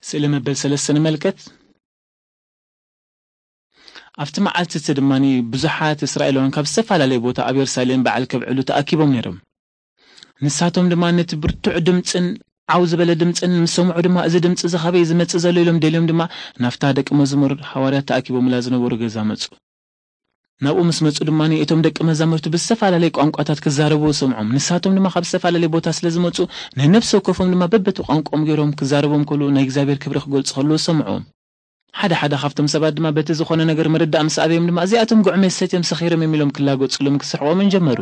ስእሊ መበል ሰለስተ ንመልከት። ኣብቲ መዓልቲ እቲ ድማ ብዙሓት እስራኤላውያን ካብ ዝተፈላለየ ቦታ ኣብ የሩሳሌም በዓል ከብዕሉ ተኣኪቦም ነይሮም። ንሳቶም ድማ ነቲ ብርቱዕ ድምፅን ዓው ዝበለ ድምፅን ምስ ሰምዑ ድማ፣ "እዚ ድምፂ እዚ ካበይ ዝመፅእ ዘሎ?" ኢሎም ደልዮም ድማ ናብታ ደቂ መዝሙር ሃዋርያት ተኣኪቦምላ ዝነበሩ ገዛ መፁ። ናብኡ ምስ መፁ ድማ እቶም ደቂ መዛሙርቲ ብዝተፈላለየ ቋንቋታት ክዛረቡ ሰምዖም። ንሳቶም ድማ ካብ ዝተፈላለየ ቦታ ስለ ዝመፁ፣ ነነፍሲ ወከፎም ድማ በበቲ ቋንቋኦም ገይሮም ክዛረቦም ከሉ፣ ናይ እግዚኣብሔር ክብሪ ክገልፁ ከለዉ ሰምዖም። ሓደ ሓደ ካብቶም ሰባት ድማ በቲ ዝኾነ ነገር ምርዳእ ምስ ኣብዮም ድማ፣ "እዚኣቶም ጉዕሜ ሰትዮም ሰኺሮም እዮም" ኢሎም ክላገጹሎምን ክስሕቖምን ጀመሩ።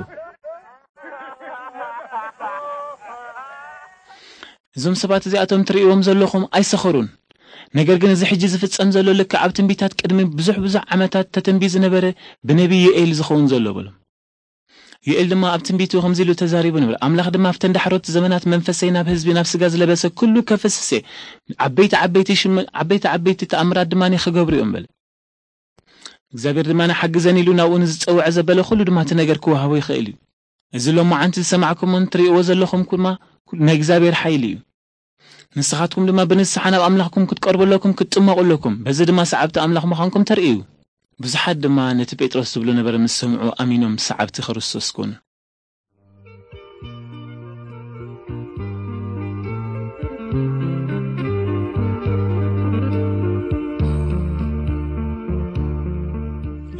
"እዞም ሰባት እዚኣቶም ትርእይዎም ዘለኹም ኣይሰኸሩን። ነገር ግን እዚ ሕጂ ዝፍጸም ዘሎ ልክዕ ኣብ ትንቢታት ቅድሚ ብዙሕ ብዙሕ ዓመታት ተተንቢዩ ዝነበረ ብነቢይ ዮኤል ዝኸውን ዘሎ" በሎም። ዮኤል ድማ ኣብ ትንቢቱ ከምዚ ኢሉ ተዛሪቡ ነይሩ። ኣምላኽ ድማ ኣብተን ዳሕሮት ዘመናት መንፈሰይ ናብ ህዝቢ፣ ናብ ስጋ ዝለበሰ ኩሉ ከፍስስ እየ። ዓበይቲ ዓበይቲ ሽም-፣ ዓበይቲ ዓበይቲ ተኣምራት ድማ ክገብሩ እዮም በለ። እግዚኣብሔር ድማ ንሓግዘን ኢሉ ናብኡ ንዝጸውዐ ዘበለ ኩሉ ድማ እቲ ነገር ክወሃቦ ይኽእል እዩ። እዚ ሎማዓንቲ ዝሰማዕኩሞን ትርእይዎ ዘለኹም ድማ ናይ እግዚኣብሔር ሓይሊ እዩ። ንስኻትኩም ድማ ብንስሓ ናብ ኣምላኽኩም ክትቀርቡ ኣለኩም፣ ክትጥመቑ ኣለኩም። በዚ ድማ ሰዓብቲ ኣምላኽ ምዃንኩም ተርእዩ። ብዙሓት ድማ ነቲ ጴጥሮስ ዝብሎ ነበረ ምስ ሰምዑ ኣሚኖም ሰዓብቲ ክርስቶስ ኮኑ።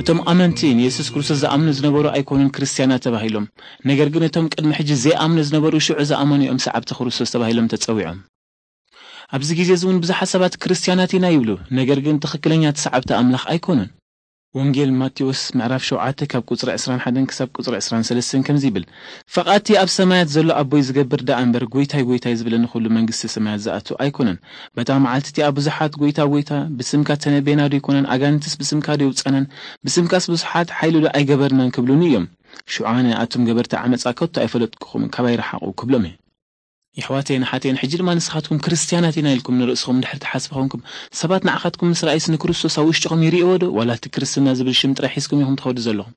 እቶም ኣመንቲ ንየሱስ ክርስቶስ ዝኣምኑ ዝነበሩ ኣይኮኑን ክርስትያናት ተባሂሎም። ነገር ግን እቶም ቅድሚ ሕጂ ዘይኣምኑ ዝነበሩ ሽዑ ዝኣመኑ እዮም ሰዓብቲ ክርስቶስ ተባሂሎም ተጸዊዖም። ኣብዚ ግዜ እዚ እውን ብዙሓት ሰባት ክርስትያናት ኢና ይብሉ፣ ነገር ግን ትኽክለኛት ሰዓብቲ ኣምላኽ ኣይኮኑን። ወንጌል ማቴዎስ ምዕራፍ ሸውዓተ ካብ ቁጽሪ ዕስራን ሓደን ክሳብ ቁጽሪ ዕስራን ሰለስተን ከምዚ ይብል፣ "ፈቓድቲ ኣብ ሰማያት ዘሎ ኣቦይ ዝገብር ደኣ እምበር፣ ጎይታይ፣ ጎይታይ ዝብለኒ ኩሉ መንግስቲ ሰማያት ዝኣቱ ኣይኮነን። በታ መዓልቲ እቲኣ ብዙሓት፣ ጎይታ፣ ጎይታ፣ ብስምካ ተነቤና ዶ ኣይኮነን? ኣጋንንትስ ብስምካ ዶ የውጸናን? ብስምካስ ብዙሓት ሓይሊ ዶ ኣይገበርናን?" ክብሉኒ እዮም። ሽዑ ኣነ፣ "ኣቱም ገበርቲ ዓመጻ ከቶ ኣይፈለጥኩኹምን፣ ካባይ ረሓቑ" ክብሎም እየ። የሕዋተይን ኣሓተይን፣ ሕጂ ድማ ንስኻትኩም ክርስትያናት ኢና ኢልኩም ንርእስኹም እንድሕር ትሓስቡ ኾንኩም፣ ሰባት ንዓኻትኩም ምስ ረኣዩስ ንክርስቶስ ኣብ ውሽጥኹም ይርእይዎ ዶ? ዋላ እቲ ክርስትና ዝብል ሽም ጥራይ ሒዝኩም ኢኹም ትኸዱ ዘለኹም።